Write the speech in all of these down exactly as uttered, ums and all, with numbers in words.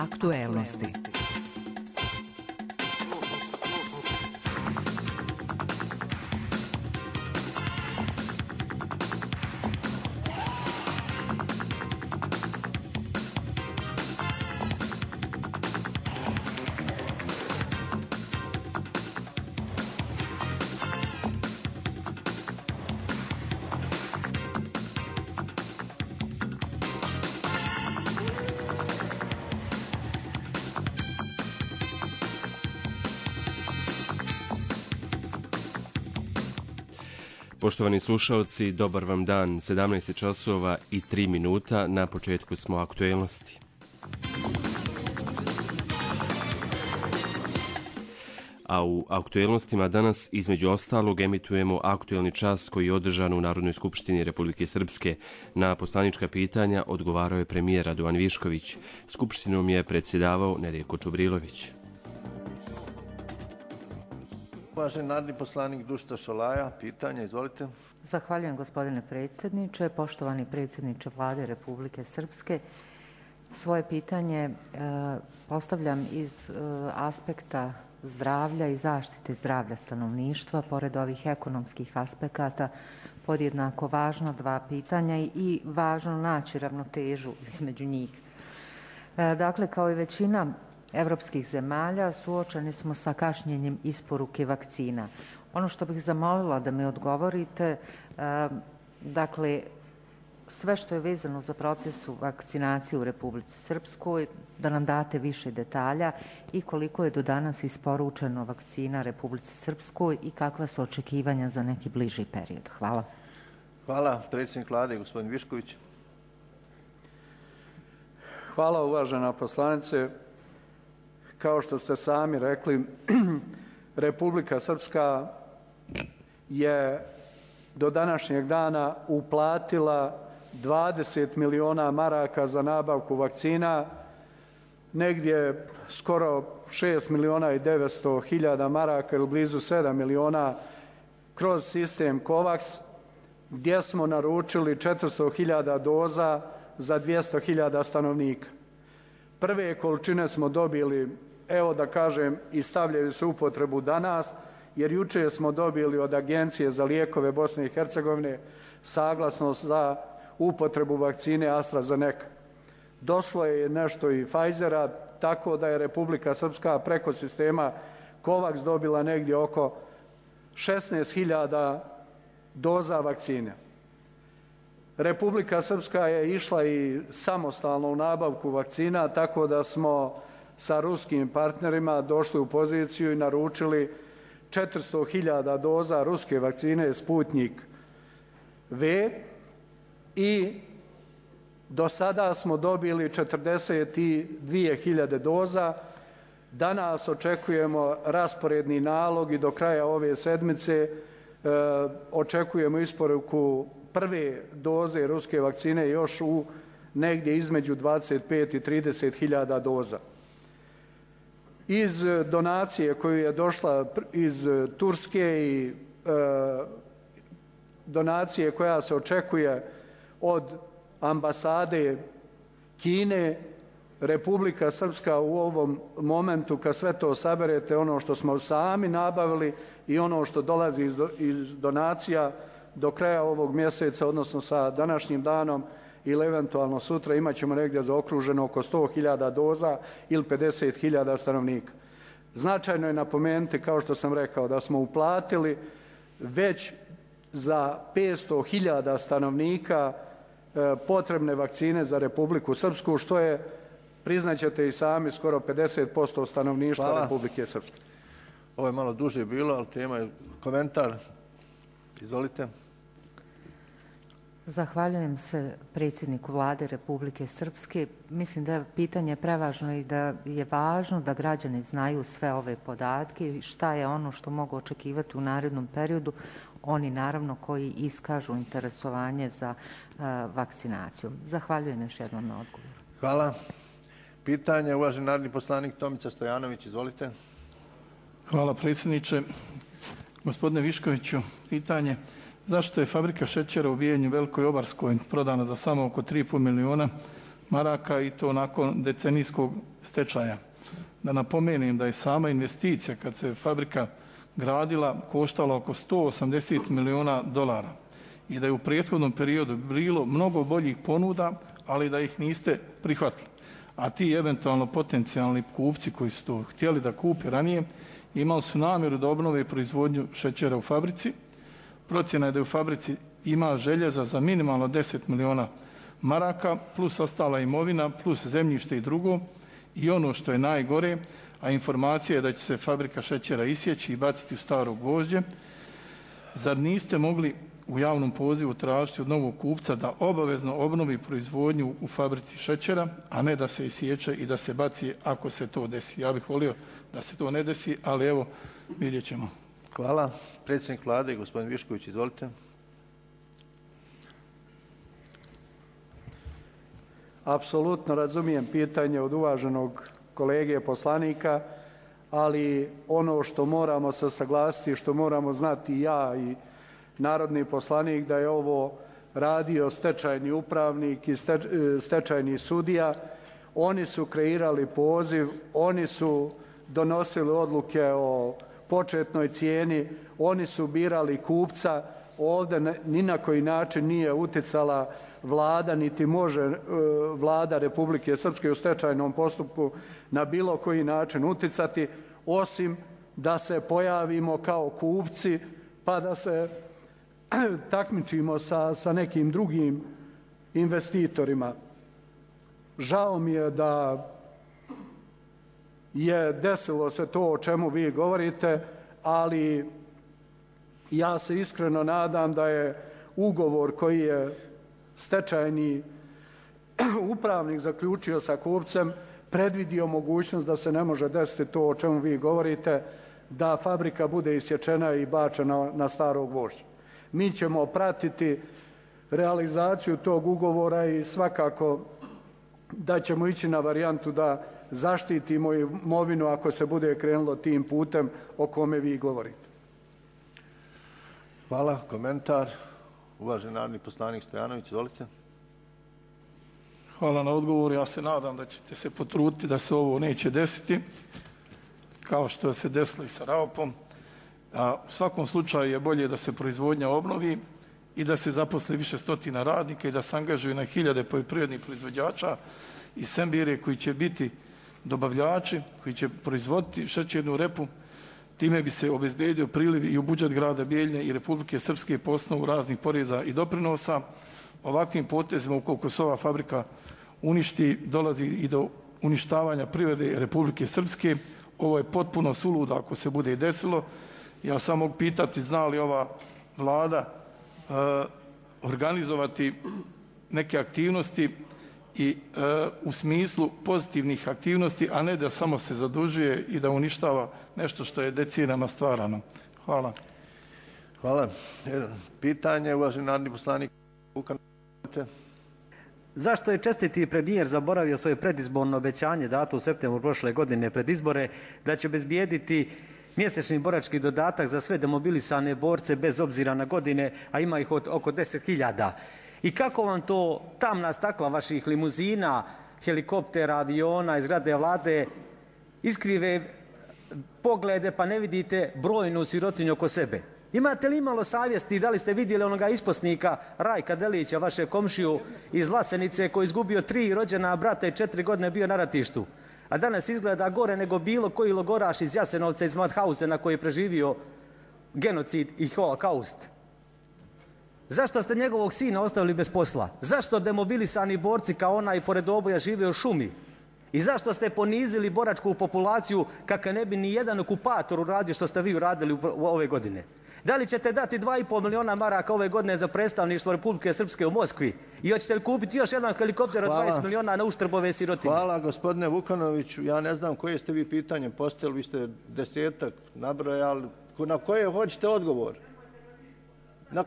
Aktuelnosti. Poštovani slušaoci, dobar vam dan, sedamnaest časova i tri minuta, na početku smo aktuelnosti. A u aktuelnostima danas između ostalog emitujemo aktuelni čas koji je održan u Narodnoj skupštini Republike Srpske. Na poslanička pitanja odgovarao je premijer Radovan Višković. Skupštinom je predsjedavao Nedeljko Čubrilović. Uvaženi narodni poslanik Dušica Šolaja, pitanje, izvolite. Zahvaljujem gospodine predsjedniče, poštovani predsjedniče Vlade Republike Srpske. Svoje pitanje e, postavljam iz e, aspekta zdravlja i zaštite zdravlja stanovništva, pored ovih ekonomskih aspekata, podjednako važno dva pitanja i važno naći ravnotežu između njih. E, dakle, kao i većina evropskih zemalja suočeni smo sa kašnjenjem isporuke vakcina. Ono što bih zamolila da mi odgovorite, dakle, sve što je vezano za proces vakcinacije u Republici Srpskoj, da nam date više detalja i koliko je do danas isporučeno vakcina Republici Srpskoj i kakva su očekivanja za neki bliži period. Hvala. Hvala. Predsjednik Vlade, gospodin Višković. Hvala, uvažena poslanice. Kao što ste sami rekli, Republika Srpska je do današnjeg dana uplatila dvadeset miliona maraka za nabavku vakcina, negdje skoro šest miliona i devetsto hiljada maraka ili blizu sedam miliona kroz sistem COVAX, gdje smo naručili četiristo hiljada doza za dvjesto hiljada stanovnika. Prve količine smo dobili, evo da kažem, i stavljaju se u upotrebu danas, jer juče smo dobili od Agencije za lijekove Bosne i Hercegovine saglasnost za upotrebu vakcine AstraZeneca. Došlo je nešto i Pfizera, tako da je Republika Srpska preko sistema COVAX dobila negdje oko šesnaest hiljada doza vakcine. Republika Srpska je išla i samostalno u nabavku vakcina, tako da smo sa ruskim partnerima došli u poziciju i naručili četiristo hiljada doza ruske vakcine Sputnik V i do sada smo dobili četrdeset dvije hiljade doza. Danas očekujemo rasporedni nalog i do kraja ove sedmice e, očekujemo isporuku prve doze ruske vakcine još u negdje između dvadeset pet i trideset hiljada doza. Iz donacije koju je došla iz Turske i e, donacije koja se očekuje od ambasade Kine, Republika Srpska u ovom momentu, kad sve to saberete, ono što smo sami nabavili i ono što dolazi iz, do, iz donacija, do kraja ovog mjeseca, odnosno sa današnjim danom ili eventualno sutra, imat ćemo negdje zaokruženo oko sto hiljada doza ili pedeset hiljada stanovnika. Značajno je napomenuti, kao što sam rekao, da smo uplatili već za petsto hiljada stanovnika e, potrebne vakcine za Republiku Srpsku, što je, priznaćete i sami, skoro pedeset posto stanovništva Hvala. Republike Srpske. Ovo je malo duže bilo, ali tema je komentar. Izvolite. Zahvaljujem se predsjedniku Vlade Republike Srpske. Mislim da je pitanje prevažno i da je važno da građani znaju sve ove podatke i šta je ono što mogu očekivati u narednom periodu. Oni naravno koji iskažu interesovanje za uh, vakcinaciju. Zahvaljujem još jednom na odgovoru. Hvala. Pitanje, uvaženi narodni poslanik Tomica Stojanović, izvolite. Hvala predsjedniče. Gospodine Viškoviću, pitanje. Zašto je fabrika šećera u Vijenju Velikoj Obarskoj prodana za samo oko tri i pol miliona, maraka i to nakon decenijskog stečaja. Da napomenem da je sama investicija kad se fabrika gradila koštala oko sto osamdeset miliona dolara i da je u prethodnom periodu bilo mnogo boljih ponuda, ali da ih niste prihvatili. A ti eventualno potencijalni kupci koji su to htjeli da kupe ranije imali su namjeru da obnove proizvodnju šećera u fabrici. Procjena je da je u fabrici ima željeza za minimalno deset miliona maraka, plus ostala imovina, plus zemljište i drugo. I ono što je najgore, a informacija je da će se fabrika šećera isjeći i baciti u staro gvožđe, zar niste mogli u javnom pozivu tražiti od novog kupca da obavezno obnovi proizvodnju u fabrici šećera, a ne da se isječe i da se baci ako se to desi? Ja bih volio da se to ne desi, ali evo, vidjet ćemo. Hvala. Predsjednik Vlade, gospodin Višković, izvolite. Apsolutno razumijem pitanje od uvaženog kolege poslanika, ali ono što moramo se saglasiti, što moramo znati i ja i narodni poslanik, da je ovo radio stečajni upravnik i stečajni sudija. Oni su kreirali poziv, oni su donosili odluke o početnoj cijeni, oni su birali kupca. Ovdje ni na koji način nije uticala Vlada, niti može Vlada Republike Srpske u stečajnom postupku na bilo koji način uticati, osim da se pojavimo kao kupci pa da se takmičimo sa, sa nekim drugim investitorima. Žao mi je da je desilo se to o čemu vi govorite, ali ja se iskreno nadam da je ugovor koji je stečajni upravnik zaključio sa kupcem predvidio mogućnost da se ne može desiti to o čemu vi govorite, da fabrika bude isječena i bačena na staro gvožđe. Mi ćemo pratiti realizaciju tog ugovora i svakako da ćemo ići na varijantu da zaštitimo imovinu ako se bude krenulo tim putem o kome vi govorite. Hvala. Komentar. Uvaženi narodni poslanik Stojanović, izvolite. Hvala na odgovor. Ja se nadam da ćete se potruditi da se ovo neće desiti, kao što se desilo i sa Raopom. A u svakom slučaju je bolje da se proizvodnja obnovi i da se zaposli više stotina radnika i da se angažuju na hiljade poljoprivrednih proizvođača i sembire koji će biti dobavljači, koji će proizvoditi šećernu repu. Time bi se obezbedio priliv i u budžet grada Bijeljine i Republike Srpske po osnovu raznih poreza i doprinosa. Ovakvim potezima, ukoliko se ova fabrika uništi, dolazi i do uništavanja privrede Republike Srpske. Ovo je potpuno suludo ako se bude desilo. Ja samo mogu pitati, zna li ova Vlada uh, organizovati neke aktivnosti i uh, u smislu pozitivnih aktivnosti, a ne da samo se zadužuje i da uništava nešto što je decenijama stvarano. Hvala. Hvala. Pitanje, uvaženi narodni poslanik Vukan. Zašto je čestiti premijer zaboravio svoje predizborno obećanje dato u septembru prošle godine pred izbore da će obezbijediti mjesečni borački dodatak za sve demobilisane borce bez obzira na godine, a ima ih od oko deset hiljada? I kako vam to tamna stakla vaših limuzina, helikoptera, aviona iz zgrade Vlade iskrive poglede pa ne vidite brojnu sirotinju oko sebe? Imate li imalo savjesti, da li ste vidjeli onoga isposnika Rajka Delića, vaše komšiju iz Vlasenice, koji je izgubio tri rođena brata i četiri godine bio na ratištu, a danas izgleda gore nego bilo koji logoraš iz Jasenovca, iz Mauthausena koji je preživio genocid i holokaust? Zašto ste njegovog sina ostavili bez posla? Zašto demobilisani borci kao onaj pored oboja žive u šumi? I zašto ste ponizili boračku populaciju kako ne bi ni jedan okupator uradio što ste vi uradili u ove godine? Da li ćete dati dva i pol miliona maraka ove godine za predstavništvo Republike Srpske u Moskvi? I hoćete li kupiti još jedan helikopter od dvadeset miliona na uštrb ove sirotinje? Hvala, gospodine Vukanoviću. Ja ne znam koje ste vi pitanje postavili, vi ste desetak nabrojali. Na koje hoćete odgovor? Na,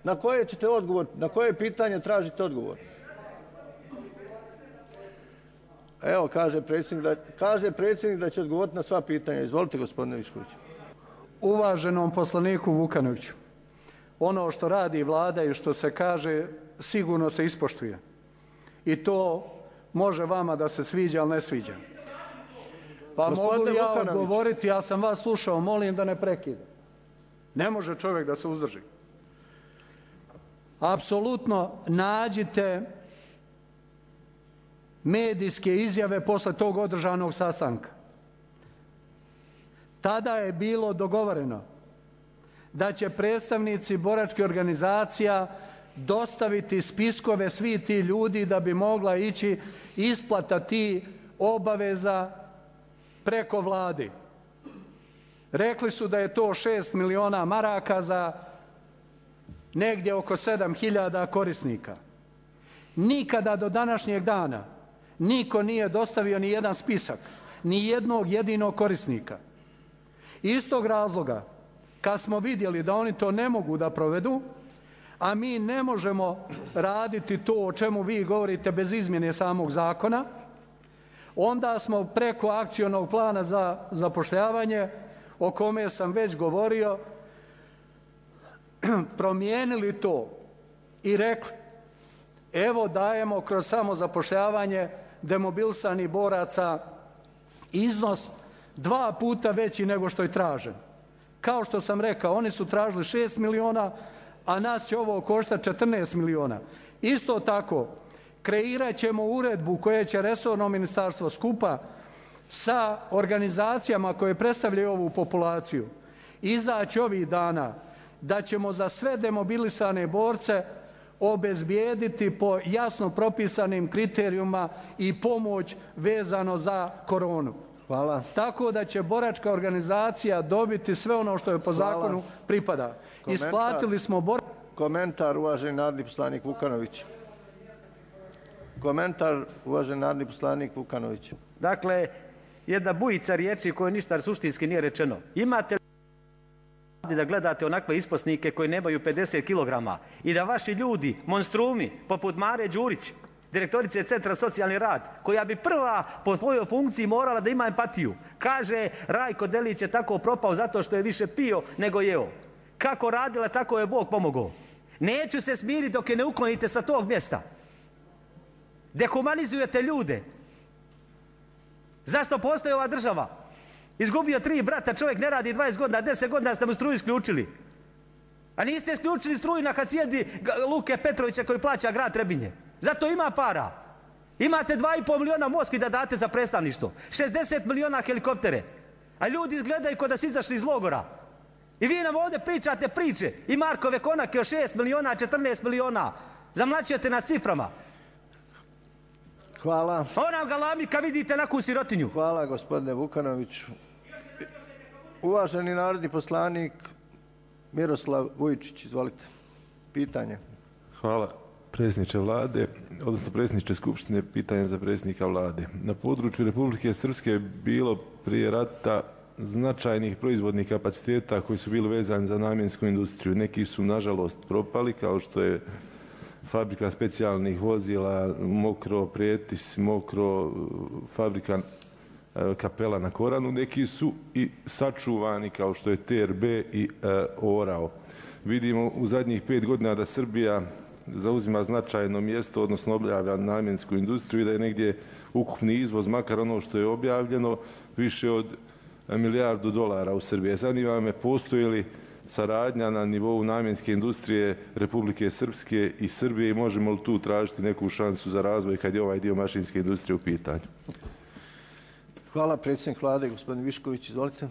na koje ćete odgovor? Na koje pitanje tražite odgovor? Evo, kaže predsjednik da, kaže predsjednik da će odgovoriti na sva pitanja. Izvolite, gospodine Višković. Uvaženom poslaniku Vukanoviću, ono što radi Vlada i što se kaže sigurno se ispoštuje. I to može vama da se sviđa, ali ne sviđa. Pa mogu li ja odgovoriti, ja sam vas slušao, molim da ne prekida. Ne može čovjek da se uzdrži. Apsolutno nađite medijske izjave posle tog održanog sastanka. Tada je bilo dogovoreno da će predstavnici boračkih organizacija dostaviti spiskove svi ti ljudi da bi mogla ići isplata ti obaveza preko vlade. Rekli su da je to šest miliona maraka za negdje oko sedam hiljada korisnika. Nikada do današnjeg dana niko nije dostavio ni jedan spisak, ni jednog jedinog korisnika. Iz tog razloga, kad smo vidjeli da oni to ne mogu da provedu, a mi ne možemo raditi to o čemu vi govorite bez izmjene samog zakona, onda smo preko akcionog plana za zapošljavanje, o kome sam već govorio, promijenili to i rekli, evo dajemo kroz samozapošljavanje demobilisanih boraca iznos dva puta veći nego što je tražen. Kao što sam rekao, oni su tražili šest miliona, a nas će ovo koštati četrnaest miliona. Isto tako, kreirat ćemo uredbu koje će resorno ministarstvo skupa sa organizacijama koje predstavljaju ovu populaciju izaći ovih dana, da ćemo za sve demobilisane borce obezbijediti po jasno propisanim kriterijuma i pomoć vezano za koronu. Hvala. Tako da će boračka organizacija dobiti sve ono što je po Hvala. zakonu pripada. Komentar. Isplatili smo bor... Komentar, uvaženi narodni poslanik Vukanović. Komentar, uvaženi narodni poslanik Vukanović. Dakle, jedna bujica riječi koje ništa suštinski nije rečeno. Imate li da gledate onakve isposnike koji nemaju pedeset kilograma i da vaši ljudi, monstrumi, poput Mare Đurić, direktorice Centra socijalni rad, koja bi prva po svojoj funkciji morala da ima empatiju, kaže Rajko Delić je tako propao zato što je više pio nego jeo. Kako radila, tako je Bog pomogao. Neću se smiriti dok je ne uklonite sa tog mjesta. Dehumanizujete ljude. Zašto postoji ova država? Izgubio tri brata, čovjek ne radi dvadeset godina, deset godina ste mu struju isključili. A niste isključili struju na hacijedi Luke Petrovića koji plaća grad Trebinje. Zato ima para. Imate dva i pol miliona Moskvi da date za predstavništvo. šezdeset miliona helikoptere. A ljudi izgledaju kao da su izašli iz logora. I vi nam ovdje pričate priče. I Markove konake o šest miliona, četrnaest miliona. Zamlaćujete nas ciframa. Hvala. Ona galami kad vidite naku sirotinju. Hvala, gospodine Vukanoviću. Uvaženi narodni poslanik Miroslav Vujčić, izvolite. Pitanje. Hvala, predsjedniče vlade, odnosno predsjedniče Skupštine, pitanje za predsjednika vlade. Na području Republike Srpske je bilo prije rata značajnih proizvodnih kapaciteta koji su bili vezani za namjensku industriju. Neki su, nažalost, propali, kao što je fabrika specijalnih vozila, Mokro, Prijetis, Mokro, fabrika Kapela na Koranu. Neki su i sačuvani, kao što je T R B i Orao. Vidimo u zadnjih pet godina da Srbija zauzima značajno mjesto, odnosno objavlja namjensku industriju i da je negdje ukupni izvoz, makar ono što je objavljeno, više od milijardu dolara u Srbiji. Zanima me, postoji li saradnja na nivou namjenske industrije Republike Srpske i Srbije i možemo li tu tražiti neku šansu za razvoj kad je ovaj dio mašinske industrije u pitanju? Hvala, predsjednik vlade, gospodin Višković, izvolite.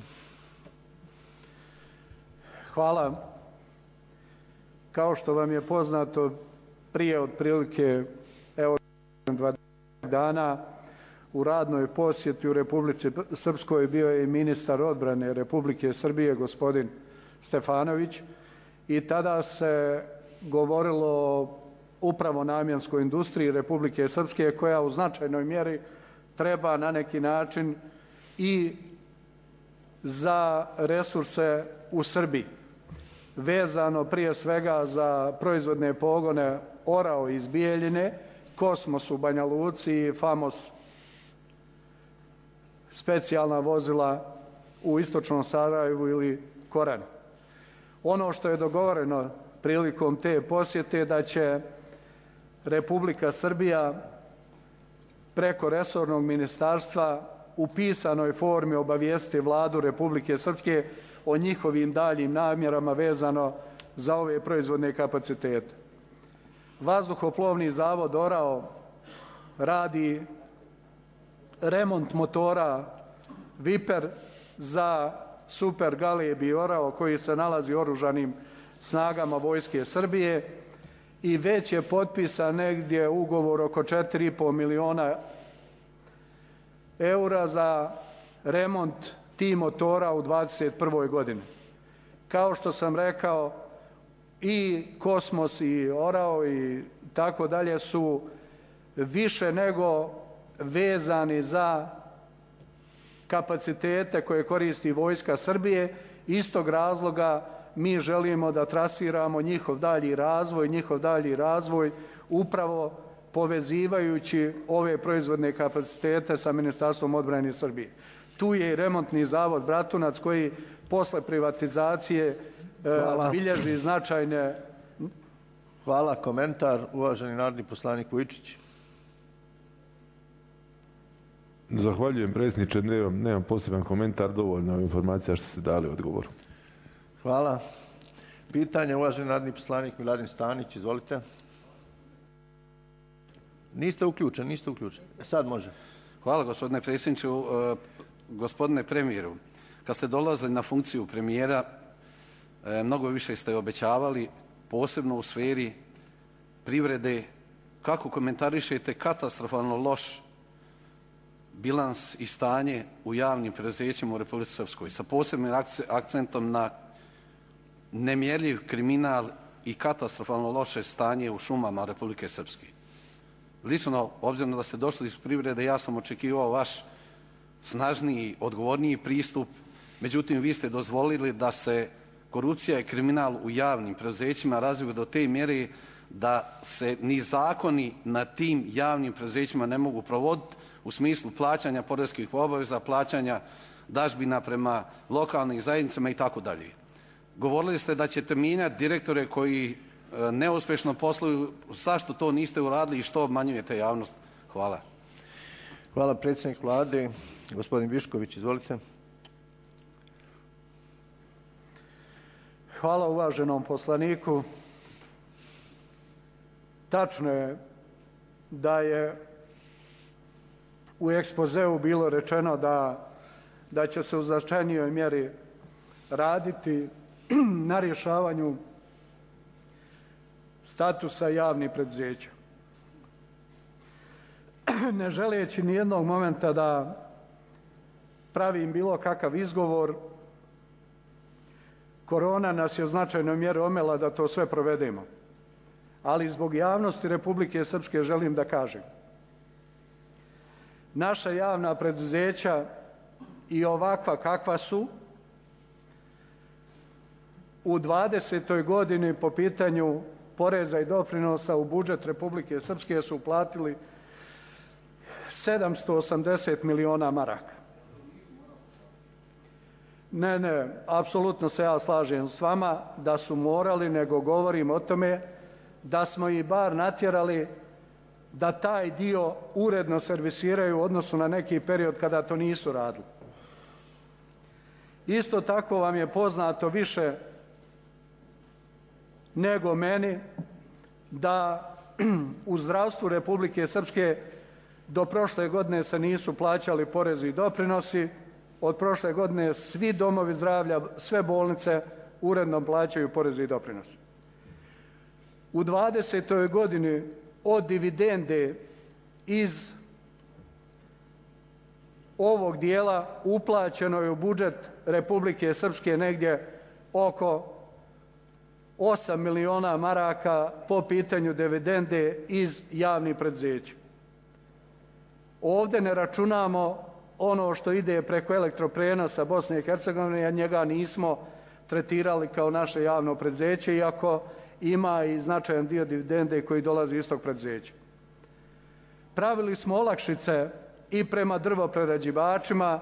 Hvala. Kao što vam je poznato, prije otprilike evo dvadeset dana u radnoj posjeti u Republici Srpskoj bio je i ministar odbrane Republike Srbije, gospodin Stefanović, i tada se govorilo upravo o namjenskoj industriji Republike Srpske koja u značajnoj mjeri treba na neki način i za resurse u Srbiji, vezano prije svega za proizvodne pogone Orao iz Bijeljine, Kosmos u Banja Luci i Famos specijalna vozila u istočnom Sarajevu ili Koranu. Ono što je dogovoreno prilikom te posjete da će Republika Srbija preko resornog ministarstva u pisanoj formi obavijestiti Vladu Republike Srpske o njihovim daljim namjerama vezano za ove proizvodne kapacitete. Vazduhoplovni zavod Orao radi remont motora Viper za Super Galeb i Orao koji se nalazi u oružanim snagama Vojske Srbije i već je potpisan negdje ugovor oko četiri i po miliona eura za remont tih motora u dvadeset prvoj godini. Kao što sam rekao, i Kosmos i Orao i tako dalje su više nego vezani za kapacitete koje koristi Vojska Srbije. Istog razloga mi želimo da trasiramo njihov dalji razvoj, njihov dalji razvoj upravo povezivajući ove proizvodne kapacitete sa Ministarstvom odbrane Srbije. Tu je i remontni zavod Bratunac koji posle privatizacije Hvala. bilježi značajne... Hvala. Komentar, uvaženi narodni poslanik Vujičić. Zahvaljujem, predsjedniče. Nemam, nemam poseban komentar, dovoljno informacija što ste dali odgovor. Hvala. Pitanje, uvaženi narodni poslanik Miladin Stanić, izvolite. Niste uključeni, niste uključeni. Sad može. Hvala, gospodine predsjedniče. Gospodine premijeru, kad ste dolazili na funkciju premijera, mnogo više ste obećavali, posebno u sferi privrede. Kako komentarišete katastrofalno loš bilans i stanje u javnim preduzećima u Republici Srpskoj sa posebnim akcentom na nemjerljiv kriminal i katastrofalno loše stanje u šumama Republike Srpske? Lično, obzirom da ste došli iz privrede, ja sam očekivao vaš snažniji, odgovorniji pristup, međutim vi ste dozvolili da se korupcija i kriminal u javnim preduzećima razviju do te mjere da se ni zakoni na tim javnim preduzećima ne mogu provoditi u smislu plaćanja poreskih obaveza, plaćanja dažbina prema lokalnim zajednicama i tako dalje. Govorili ste da ćete mijenjati direktore koji neuspješno posluju. Zašto to niste uradili i što obmanjujete javnost? Hvala. Hvala, predsjednik Vlade. Gospodin Višković, izvolite. Hvala uvaženom poslaniku. Tačno je da je u ekspozeu bilo rečeno da, da će se u značajnijoj mjeri raditi na rješavanju statusa javnih preduzeća. Ne želeći ni jednog momenta da pravim bilo kakav izgovor, korona nas je u značajnoj mjeri omela da to sve provedemo. Ali zbog javnosti Republike Srpske želim da kažem. Naša javna preduzeća i ovakva kakva su u dvadesetoj godini po pitanju poreza i doprinosa u budžet Republike Srpske su uplatili sedamsto osamdeset miliona maraka. Ne, ne, apsolutno se ja slažem s vama da su morali, nego govorim o tome da smo ih bar natjerali da taj dio uredno servisiraju u odnosu na neki period kada to nisu radili. Isto tako vam je poznato više nego meni da u zdravstvu Republike Srpske do prošle godine se nisu plaćali porezi i doprinosi. Od prošle godine svi domovi zdravlja, sve bolnice uredno plaćaju poreze i doprinosi. U dvadesetoj godini od dividende iz ovog dijela uplaćeno je u budžet Republike Srpske negdje oko osam miliona maraka po pitanju dividende iz javnih preduzeća. Ovdje ne računamo ono što ide preko elektroprenosa Bosne i Hercegovine, a njega nismo tretirali kao naše javno preduzeće, iako ima i značajan dio dividende koji dolazi iz tog preduzeća. Pravili smo olakšice i prema drvoprerađivačima,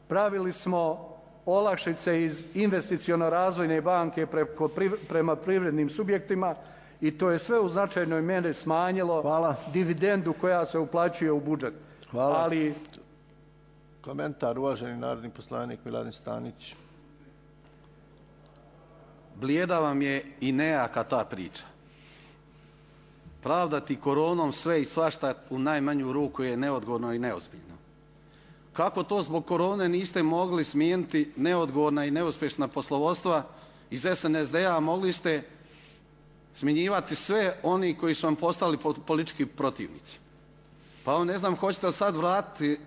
pravili smo olakšice iz investiciono-razvojne banke preko, prema privrednim subjektima i to je sve u značajnoj mjeri smanjilo Hvala. dividendu koja se uplaćuje u budžet. Hvala. Ali... Komentar, uvaženi narodni poslanik Miladin Stanić. Blijeda vam je i nejaka ta priča. Pravdati koronom sve i svašta u najmanju ruku je neodgovorno i neozbiljno. Kako to zbog korone niste mogli smijeniti neodgovorna i neuspješna poslovodstva iz S N S D-a, mogli ste smjenjivati sve oni koji su vam postali politički protivnici. Pa on ne znam, hoćete sad vratiti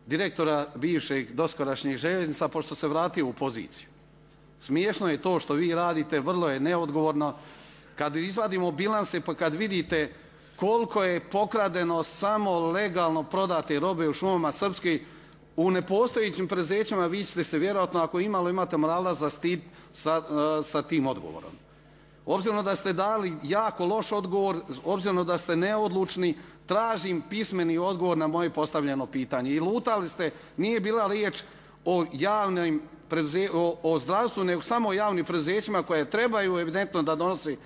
direktora bivšeg doskorašnjih željeznica pošto se vratio u poziciju. Smiješno je to što vi radite, vrlo je neodgovorno. Kad izvadimo bilanse pa kad vidite koliko je pokradeno samo legalno prodate robe u šumama Srpske, u nepostojećim preduzećima vi ćete se vjerojatno, ako imalo imate morala, zastiti sa, sa tim odgovorom. Obzirom da ste dali jako loš odgovor, obzirom da ste neodlučni, tražim pismeni odgovor na moje postavljeno pitanje. I lutali ste, nije bila riječ o javnim preduze, o, o zdravstvu, nego samo o javnim preduzećima koje trebaju evidentno da donosi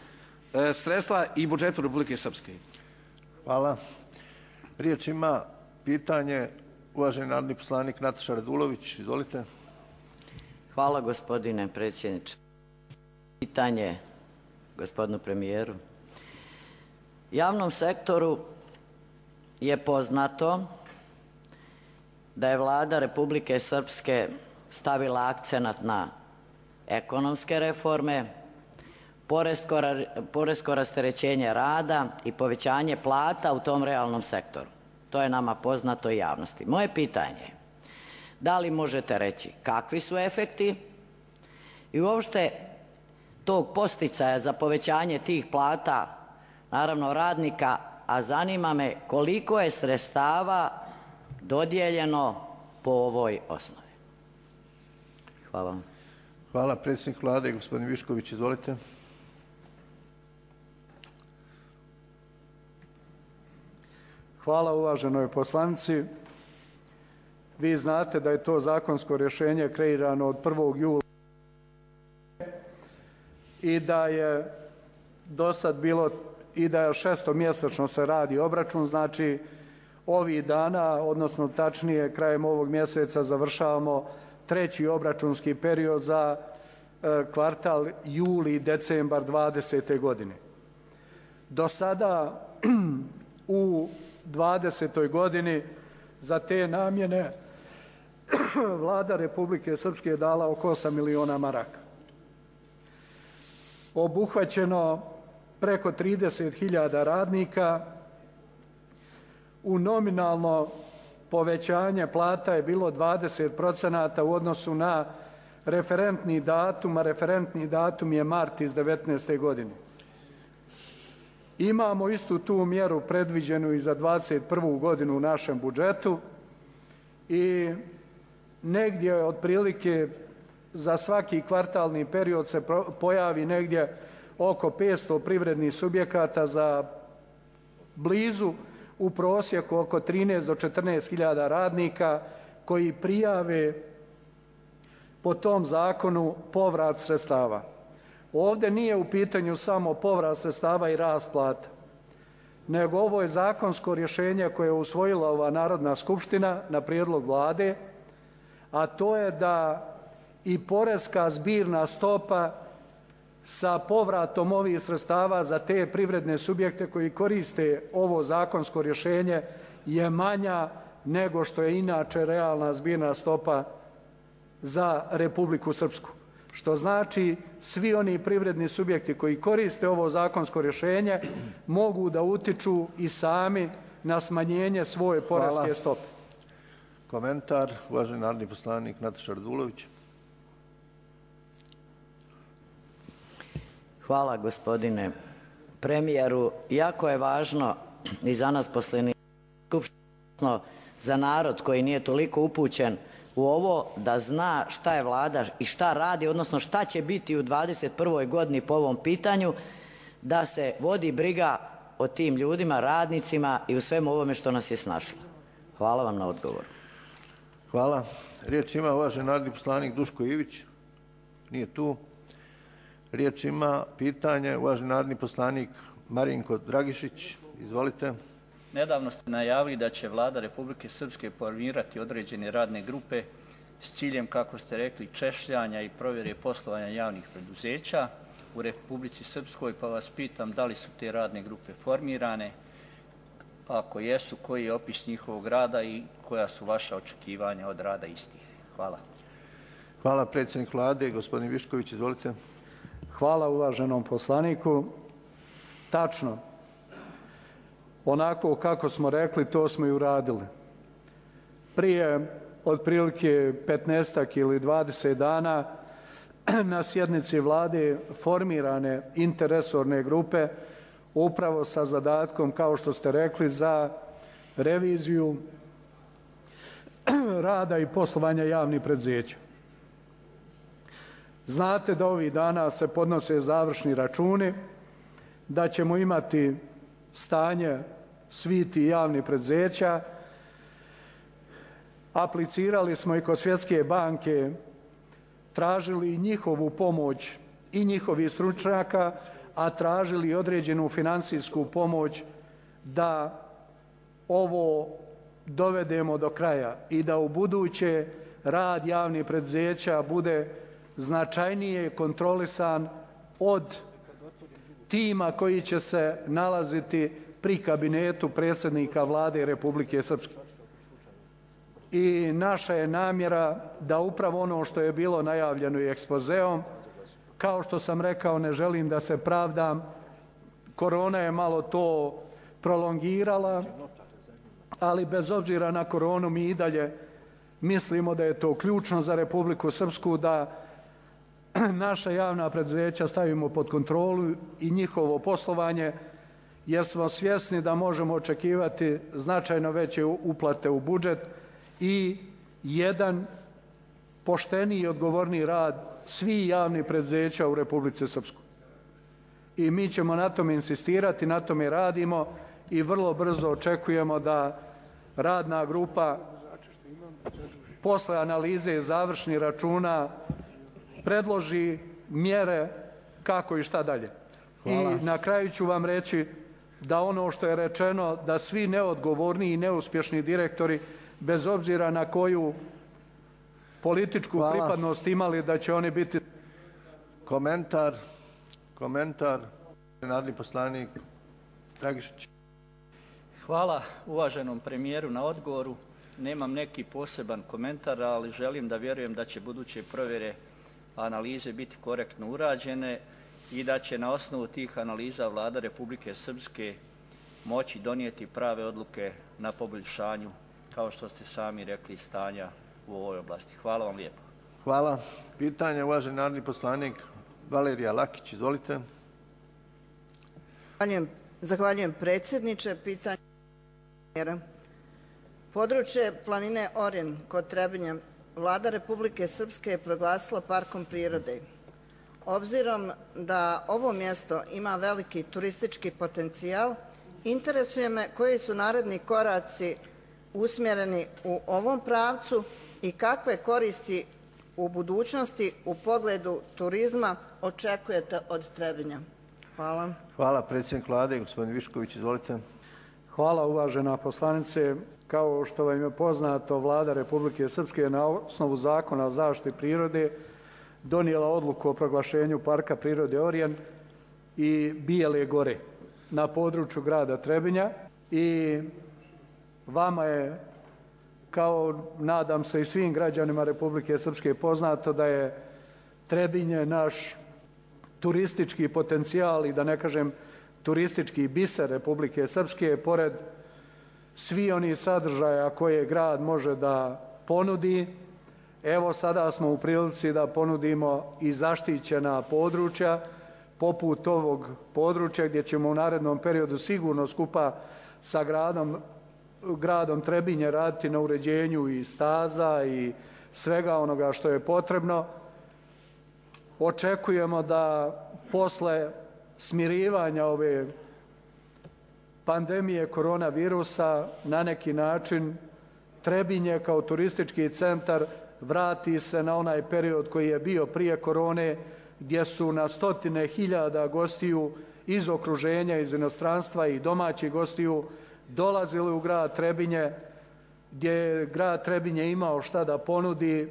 e, sredstva i budžetu Republike Srpske. Hvala. Riječ ima pitanje uvaženi narodni poslanik Nataša Radulović. Izvolite. Hvala gospodine predsjedniče. Pitanje gospodinu premijeru. Javnom sektoru je poznato da je Vlada Republike Srpske stavila akcenat na ekonomske reforme, poresko rasterećenje rada i povećanje plata u tom realnom sektoru. To je nama poznato i javnosti. Moje pitanje je, da li možete reći kakvi su efekti i uopšte tog posticaja za povećanje tih plata, naravno radnika, a zanima me koliko je sredstava dodijeljeno po ovoj osnovi. Hvala. Hvala. Predsjednik Vlade, gospodin Višković, izvolite. Hvala uvaženoj poslanici. Vi znate da je to zakonsko rješenje kreirano od prvog jula i da je do sad bilo i da je šestomjesečno se radi obračun, znači ovih dana, odnosno tačnije krajem ovog mjeseca završavamo treći obračunski period za e, kvartal juli i decembar dvadesete godine. Do sada u dvadesetoj godini za te namjene Vlada Republike Srpske je dala oko osam miliona maraka. Obuhvaćeno preko trideset hiljada radnika, u nominalno povećanje plata je bilo dvadeset procenata u odnosu na referentni datum, a referentni datum je mart iz devetnaeste godine. Imamo istu tu mjeru predviđenu i za dvadeset prvu godinu u našem budžetu i negdje otprilike za svaki kvartalni period se pojavi negdje oko petsto privrednih subjekata za blizu u prosjeku oko trinaest do četrnaest hiljada radnika koji prijave po tom zakonu povrat sredstava. Ovdje nije u pitanju samo povrat sredstava i rast plata, nego ovo je zakonsko rješenje koje je usvojila ova Narodna skupština na prijedlog Vlade, a to je da i poreska zbirna stopa sa povratom ovih sredstava za te privredne subjekte koji koriste ovo zakonsko rješenje je manja nego što je inače realna zbirna stopa za Republiku Srpsku. Što znači svi oni privredni subjekti koji koriste ovo zakonsko rješenje mogu da utiču i sami na smanjenje svoje poreske stope. Komentar, uvaženi narodni poslanik Nataša Radulović. Hvala gospodine premijeru. Jako je važno i za nas poslanike skupštine, za narod koji nije toliko upućen u ovo, da zna šta je Vlada i šta radi, odnosno šta će biti u dvadeset prvoj godini po ovom pitanju, da se vodi briga o tim ljudima, radnicima i u svemu ovome što nas je snašlo. Hvala vam na odgovor. Hvala. Riječ ima uvaženi narodni poslanik Duško Ivić. Nije tu. Riječ ima pitanje uvaženi narodni poslanik Marinko Dragišić. Izvolite. Nedavno ste najavili da će Vlada Republike Srpske formirati određene radne grupe s ciljem, kako ste rekli, češljanja i provjere poslovanja javnih preduzeća u Republici Srpskoj, pa vas pitam da li su te radne grupe formirane, ako jesu, koji je opis njihovog rada i koja su vaša očekivanja od rada istih. Hvala. Hvala, predsjednik Vlade. Gospodin Višković, izvolite. Hvala uvaženom poslaniku. Tačno. Onako kako smo rekli, to smo i uradili. Prije otprilike petnaestak ili dvadeset dana na sjednici Vlade formirane interresorne grupe upravo sa zadatkom, kao što ste rekli, za reviziju rada i poslovanja javnih preduzeća. Znate da ovih dana se podnose završni računi, da ćemo imati stanje svih tih javnih preduzeća. Aplicirali smo i kod Svjetske banke, tražili njihovu pomoć i njihovih stručnjaka, a tražili određenu finansijsku pomoć da ovo dovedemo do kraja i da u buduće rad javnih preduzeća bude značajnije kontrolisan od tima koji će se nalaziti pri kabinetu predsjednika Vlade Republike Srpske. I naša je namjera da upravo ono što je bilo najavljeno i ekspozeom, kao što sam rekao, ne želim da se pravdam, korona je malo to prolongirala, ali bez obzira na koronu mi i dalje mislimo da je to ključno za Republiku Srpsku, da naša javna preduzeća stavimo pod kontrolu i njihovo poslovanje, jer smo svjesni da možemo očekivati značajno veće uplate u budžet i jedan pošteniji i odgovorniji rad svih javnih preduzeća u Republici Srpskoj. I mi ćemo na tome insistirati, na tome radimo i vrlo brzo očekujemo da radna grupa posle analize završnih računa predloži mjere kako i šta dalje. Hvala. I na kraju ću vam reći da ono što je rečeno, da svi neodgovorni i neuspješni direktori, bez obzira na koju političku Hvala. pripadnost imali, da će oni biti... Komentar, komentar, narodni poslanik Dragišić. Hvala uvaženom premijeru na odgovoru. Nemam neki poseban komentar, ali želim da vjerujem da će buduće provjere analize biti korektno urađene i da će na osnovu tih analiza Vlada Republike Srpske moći donijeti prave odluke na poboljšanju, kao što ste sami rekli, stanja u ovoj oblasti. Hvala vam lijepo. Hvala. Pitanje, uvaženi narodni poslanik Valerija Lakić, izvolite. Zahvaljujem, zahvaljujem predsjedniče. Pitanje područje planine Orjen kod Trebinja Vlada Republike Srpske je proglasila parkom prirode. Obzirom da ovo mjesto ima veliki turistički potencijal, interesuje me koji su naredni koraci usmjereni u ovom pravcu i kakve koristi u budućnosti u pogledu turizma očekujete od Trebinja. Hvala. Hvala, predsjednik Vlade, gospodin Višković, izvolite. Hvala, uvažena poslanice. Kao što vam je poznato, Vlada Republike Srpske je na osnovu Zakona o zaštiti prirode donijela odluku o proglašenju Parka prirode Orjen i Bijele gore na području grada Trebinja i vama je, kao nadam se i svim građanima Republike Srpske, poznato da je Trebinje naš turistički potencijal i da ne kažem turistički biser Republike Srpske, pored svi oni sadržaja koje grad može da ponudi. Evo sada smo u prilici da ponudimo i zaštićena područja poput ovog područja gdje ćemo u narednom periodu sigurno skupa sa gradom, gradom Trebinje raditi na uređenju i staza i svega onoga što je potrebno. Očekujemo da posle smirivanja ove pandemije koronavirusa na neki način Trebinje kao turistički centar vrati se na onaj period koji je bio prije korone, gdje su na stotine hiljada gostiju iz okruženja, iz inostranstva i domaćih gostiju dolazili u grad Trebinje, gdje je grad Trebinje imao šta da ponudi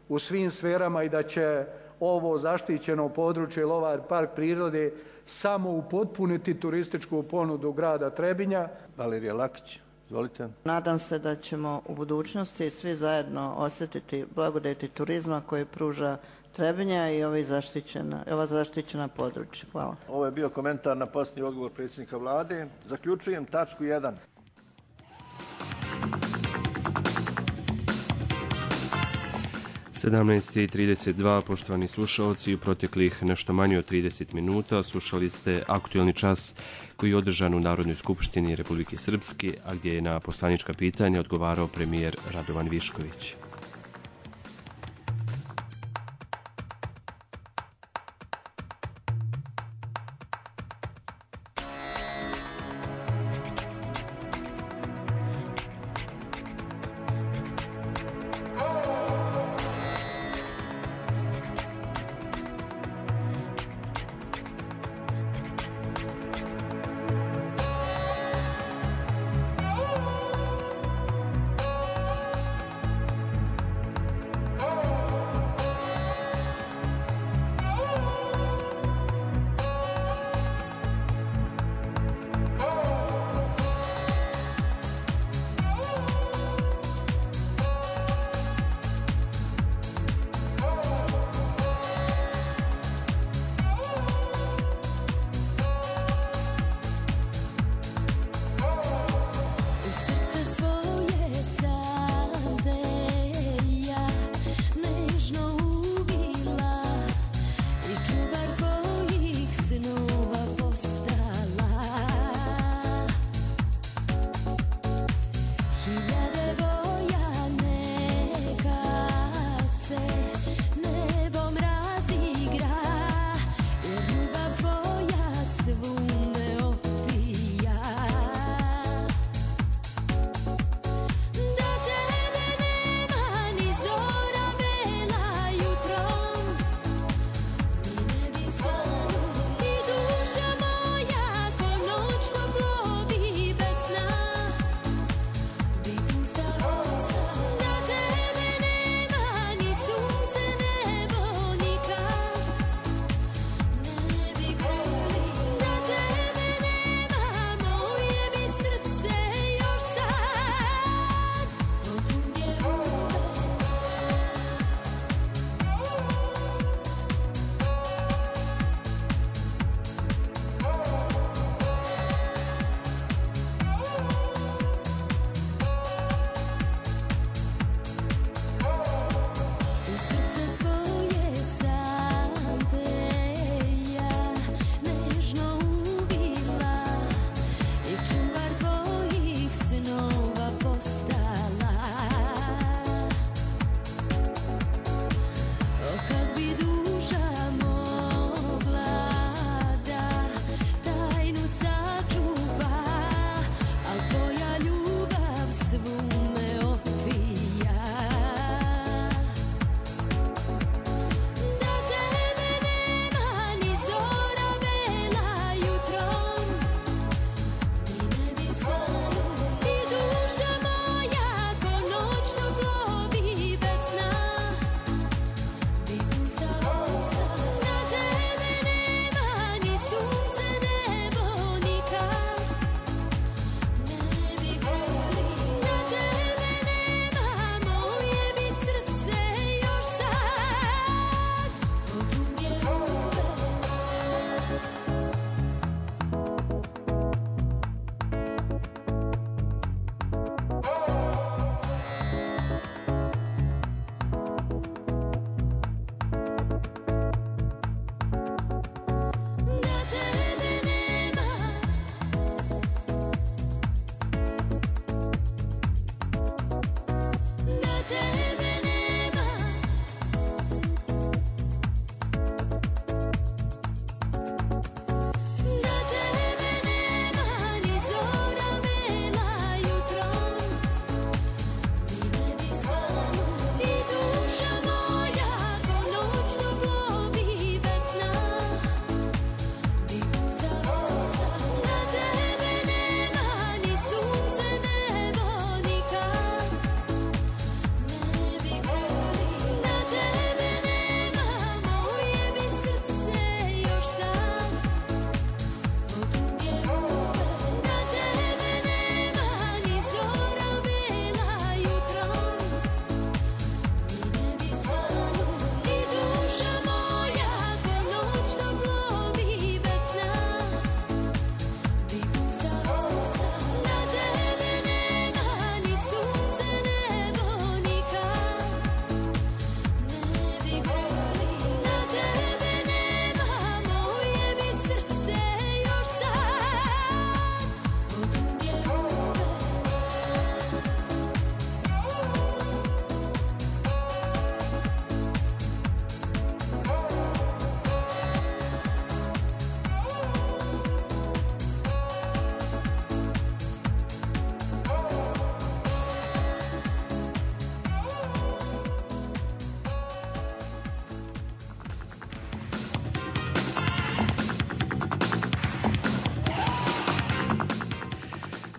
u svim sferama i da će ovo zaštićeno područje ili ovaj park prirode samo upotpuniti turističku ponudu grada Trebinja. Valerija Lakić, izvolite. Nadam se da ćemo u budućnosti svi zajedno osjetiti blagodeti turizma koje pruža Trebinja i ova zaštićena, ova zaštićena područja. Hvala. Ovo je bio komentar na posljednji odgovor predsjednika vlade. Zaključujem tačku jedan. sedamnaest i trideset dva, poštovani slušalci, u proteklih nešto manje od trideset minuta slušali ste aktuelni čas koji je održan u Narodnoj skupštini Republike Srpske, a gdje je na poslanička pitanja odgovarao premijer Radovan Višković.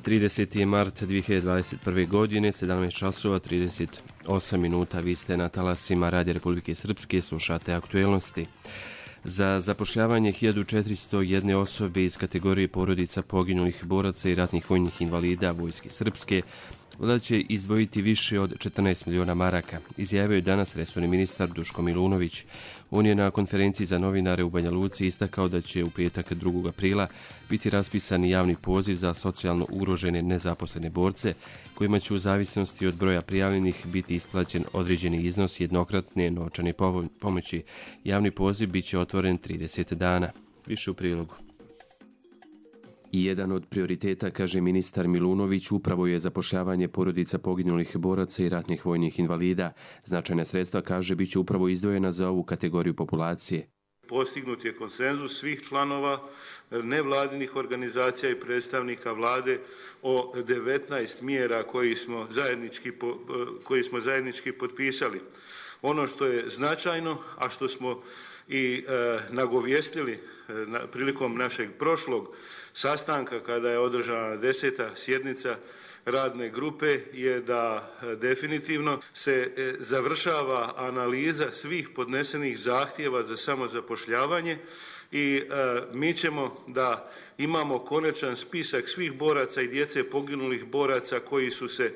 trideseti mart dvije hiljade dvadeset prve. godine, sedamnaest časova trideset osam minuta. Vi ste na talasima Radija Republike Srpske, slušate aktuelnosti. Za zapošljavanje hiljadu četiristo jedne osobe iz kategorije porodica poginulih boraca i ratnih vojnih invalida Vojske Srpske Vlada će izdvojiti više od četrnaest miliona maraka, izjavio je danas resorni ministar Duško Milunović. On je na konferenciji za novinare u Banja Luci istakao da će u petak drugog aprila biti raspisan javni poziv za socijalno ugrožene nezaposlene borce, kojima će u zavisnosti od broja prijavljenih biti isplaćen određeni iznos jednokratne novčane pomoći. Javni poziv bit će otvoren trideset dana. Više u prilogu. I jedan od prioriteta, kaže ministar Milunović, upravo je zapošljavanje porodica poginulih boraca i ratnih vojnih invalida. Značajna sredstva, kaže, bit će upravo izdvojena za ovu kategoriju populacije. Postignut je konsenzus svih članova nevladinih organizacija i predstavnika vlade o devetnaest mjera koji smo zajednički, koji smo zajednički potpisali. Ono što je značajno, a što smo i e, nagovijestili e, na, prilikom našeg prošlog sastanka kada je održana deseta sjednica radne grupe, je da e, definitivno se e, završava analiza svih podnesenih zahtjeva za samozapošljavanje i e, mi ćemo da imamo konačan spisak svih boraca i djece poginulih boraca koji su se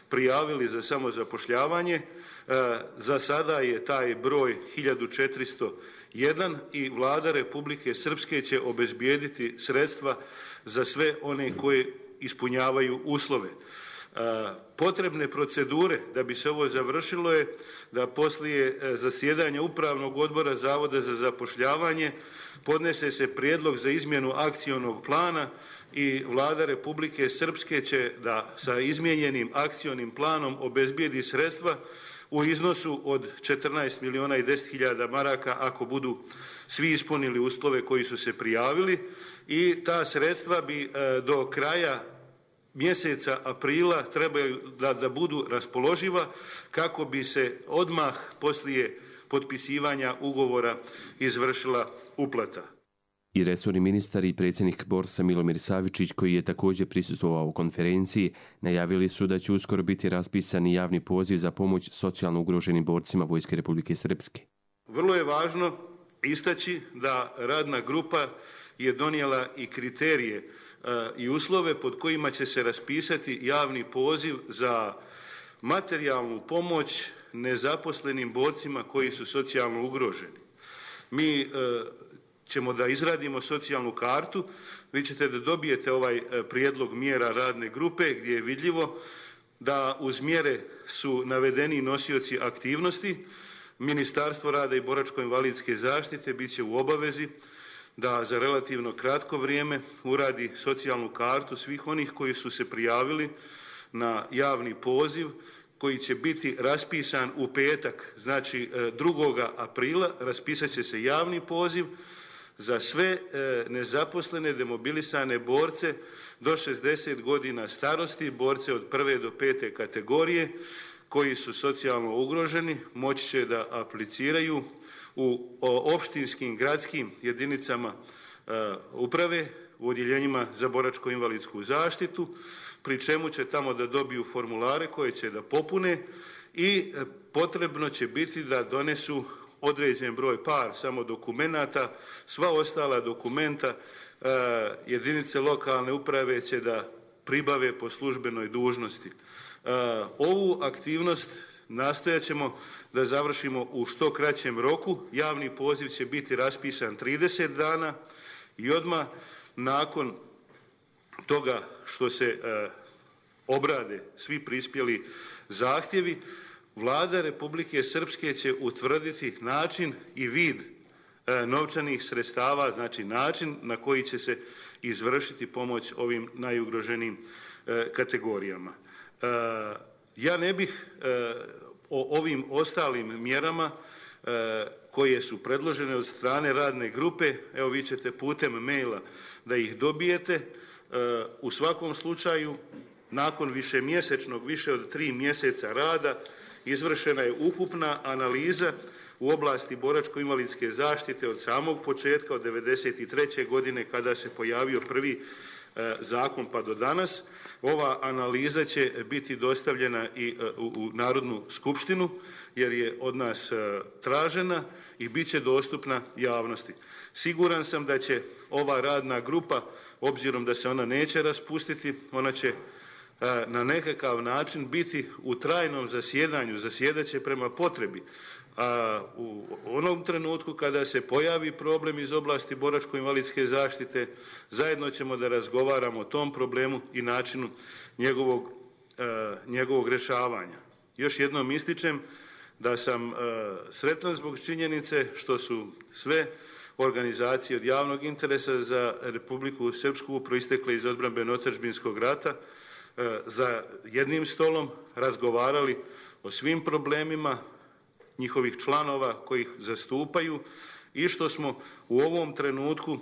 prijavili za samozapošljavanje. E, za sada je taj broj hiljadu četiristo jedan i Vlada Republike Srpske će obezbijediti sredstva za sve one koje ispunjavaju uslove. E, potrebne procedure da bi se ovo završilo je da poslije zasjedanja Upravnog odbora Zavoda za zapošljavanje podnese se prijedlog za izmjenu akcionog plana i Vlada Republike Srpske će da sa izmijenjenim akcionim planom obezbijedi sredstva u iznosu od četrnaest miliona i deset hiljada maraka ako budu svi ispunili uslove koji su se prijavili, i ta sredstva bi do kraja mjeseca aprila trebaju da, da budu raspoloživa kako bi se odmah poslije potpisivanja ugovora izvršila uplata. I resorni ministar i predsjednik Borsa Milomir Savičić, koji je također prisustvovao u konferenciji, najavili su da će uskoro biti raspisan javni poziv za pomoć socijalno ugroženim borcima Vojske Republike Srpske. Vrlo je važno istaći da radna grupa je donijela i kriterije e, i uslove pod kojima će se raspisati javni poziv za materijalnu pomoć nezaposlenim borcima koji su socijalno ugroženi. Mi e, ćemo da izradimo socijalnu kartu, vi ćete da dobijete ovaj prijedlog mjera radne grupe gdje je vidljivo da uz mjere su navedeni nosioci aktivnosti. Ministarstvo rada i boračko-invalidske zaštite bit će u obavezi da za relativno kratko vrijeme uradi socijalnu kartu svih onih koji su se prijavili na javni poziv koji će biti raspisan u petak, znači drugog aprila, raspisat će se javni poziv za sve nezaposlene demobilisane borce do šezdeset godina starosti, borce od prve do pete kategorije koji su socijalno ugroženi, moći će da apliciraju u opštinskim gradskim jedinicama uprave, u odjeljenjima za boračko-invalidsku zaštitu, pri čemu će tamo da dobiju formulare koje će da popune i potrebno će biti da donesu određen broj par samo dokumenata, sva ostala dokumenta e, jedinice lokalne uprave će da pribave po službenoj dužnosti. E, ovu aktivnost nastojat ćemo da završimo u što kraćem roku. Javni poziv će biti raspisan trideset dana i odmah nakon toga što se e, obrade svi prispjeli zahtjevi, Vlada Republike Srpske će utvrditi način i vid e, novčanih sredstava, znači način na koji će se izvršiti pomoć ovim najugroženijim e, kategorijama. E, ja ne bih e, o ovim ostalim mjerama e, koje su predložene od strane radne grupe, evo vi ćete putem maila da ih dobijete, e, u svakom slučaju nakon višemjesečnog, više od tri mjeseca rada, izvršena je ukupna analiza u oblasti boračko-invalidske zaštite od samog početka, od devedeset treće godine kada se pojavio prvi zakon pa do danas. Ova analiza će biti dostavljena i u Narodnu skupštinu jer je od nas tražena i bit će dostupna javnosti. Siguran sam da će ova radna grupa, obzirom da se ona neće raspustiti, ona će na nekakav način biti u trajnom zasjedanju, zasjedaće prema potrebi. A u onom trenutku kada se pojavi problem iz oblasti boračko-invalidske zaštite, zajedno ćemo da razgovaramo o tom problemu i načinu njegovog, njegovog rješavanja. Još jednom ističem da sam sretan zbog činjenice što su sve organizacije od javnog interesa za Republiku Srpsku proistekle iz odbrambeno-otadžbinskog rata za jednim stolom razgovarali o svim problemima njihovih članova koji ih zastupaju i što smo u ovom trenutku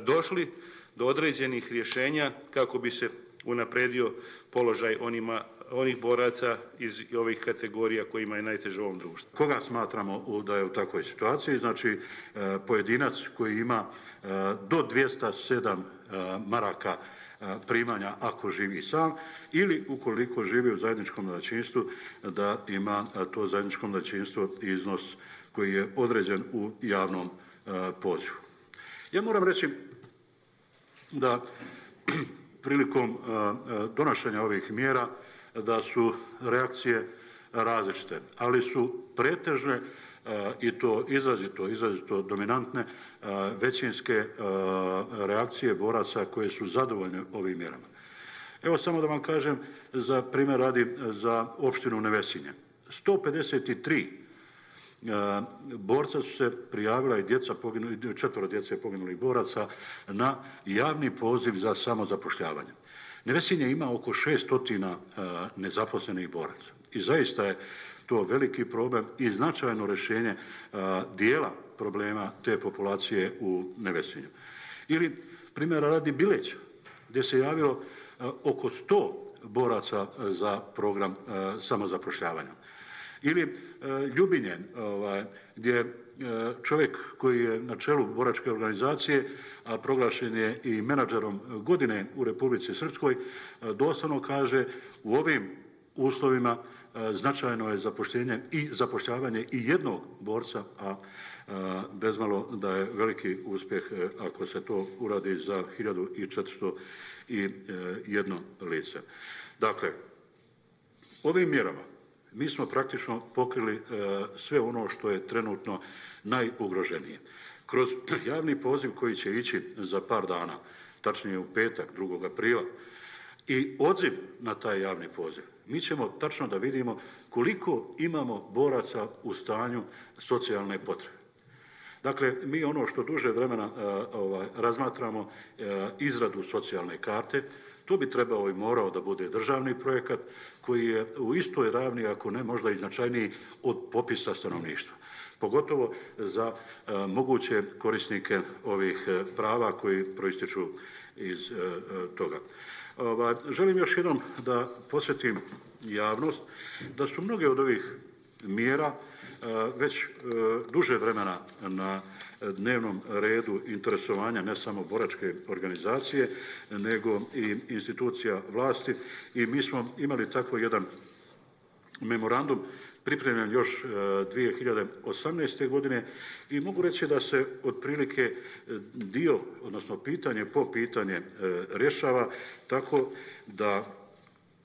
došli do određenih rješenja kako bi se unapredio položaj onima, onih boraca iz ovih kategorija kojima je najteže u ovom društvu. Koga smatramo da je u takvoj situaciji? Znači, pojedinac koji ima do dvjesto sedam maraka primanja ako živi sam ili ukoliko živi u zajedničkom domaćinstvu da ima to zajedničko domaćinstvo iznos koji je određen u javnom pozivu. Ja moram reći da prilikom donošenja ovih mjera da su reakcije različite, ali su pretežne i to izrazito, izrazito dominantne većinske reakcije boraca koje su zadovoljne ovim mjerama. Evo samo da vam kažem, za primjer radi za opštinu Nevesinje. sto pedeset tri borca su se prijavila i djeca poginuli, četvoro djece poginulih boraca na javni poziv za samozapošljavanje. Nevesinje ima oko šesto nezaposlenih boraca i zaista je to veliki problem i značajno rješenje dijela problema te populacije u Nevesinju. Ili primjera radi Bileća, gdje se javilo oko sto boraca za program samozapošljavanja. Ili Ljubinje, gdje čovjek koji je na čelu boračke organizacije, a proglašen je i menadžerom godine u Republici Srpskoj, doslovno kaže u ovim uslovima značajno je zapošljenje i zapošljavanje i jednog borca, a bezmalo da je veliki uspjeh ako se to uradi za hiljadu četiristo jedan lice. Dakle, ovim mjerama mi smo praktično pokrili sve ono što je trenutno najugroženije. Kroz javni poziv koji će ići za par dana, tačnije u petak, drugog aprila, i odziv na taj javni poziv, mi ćemo tačno da vidimo koliko imamo boraca u stanju socijalne potrebe. Dakle, mi ono što duže vremena ovaj, razmatramo izradu socijalne karte, to bi trebao i morao da bude državni projekat koji je u istoj ravni, ako ne možda i značajniji, od popisa stanovništva. Pogotovo za moguće korisnike ovih prava koji proističu iz toga. Želim još jednom da posjetim javnost da su mnoge od ovih mjera već duže vremena na dnevnom redu interesovanja ne samo boračke organizacije, nego i institucija vlasti i mi smo imali tako jedan memorandum pripremljen još dvije hiljade osamnaeste. godine i mogu reći da se otprilike dio, odnosno pitanje po pitanje rješava tako da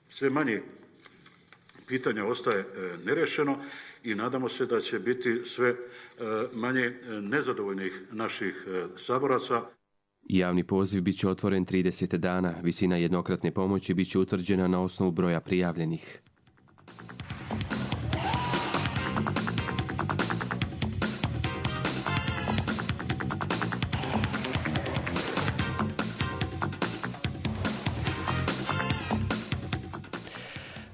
sve manje pitanja ostaje nerješeno i nadamo se da će biti sve manje nezadovoljnih naših saboraca. Javni poziv bit će otvoren trideset dana. Visina jednokratne pomoći bit će utvrđena na osnovu broja prijavljenih.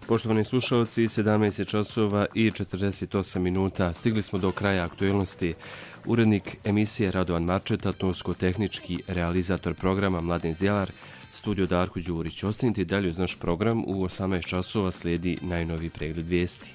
Poštovani slušalci, sedamnaest časova i četrdeset osam minuta. Stigli smo do kraja aktuelnosti. Urednik emisije Radovan Marčeta, tonsko-tehnički realizator programa Mladen Zdjelar, studio Darko Đurić. Ostanite dalje uz naš program, u osamnaest časova slijedi najnoviji pregled vijesti.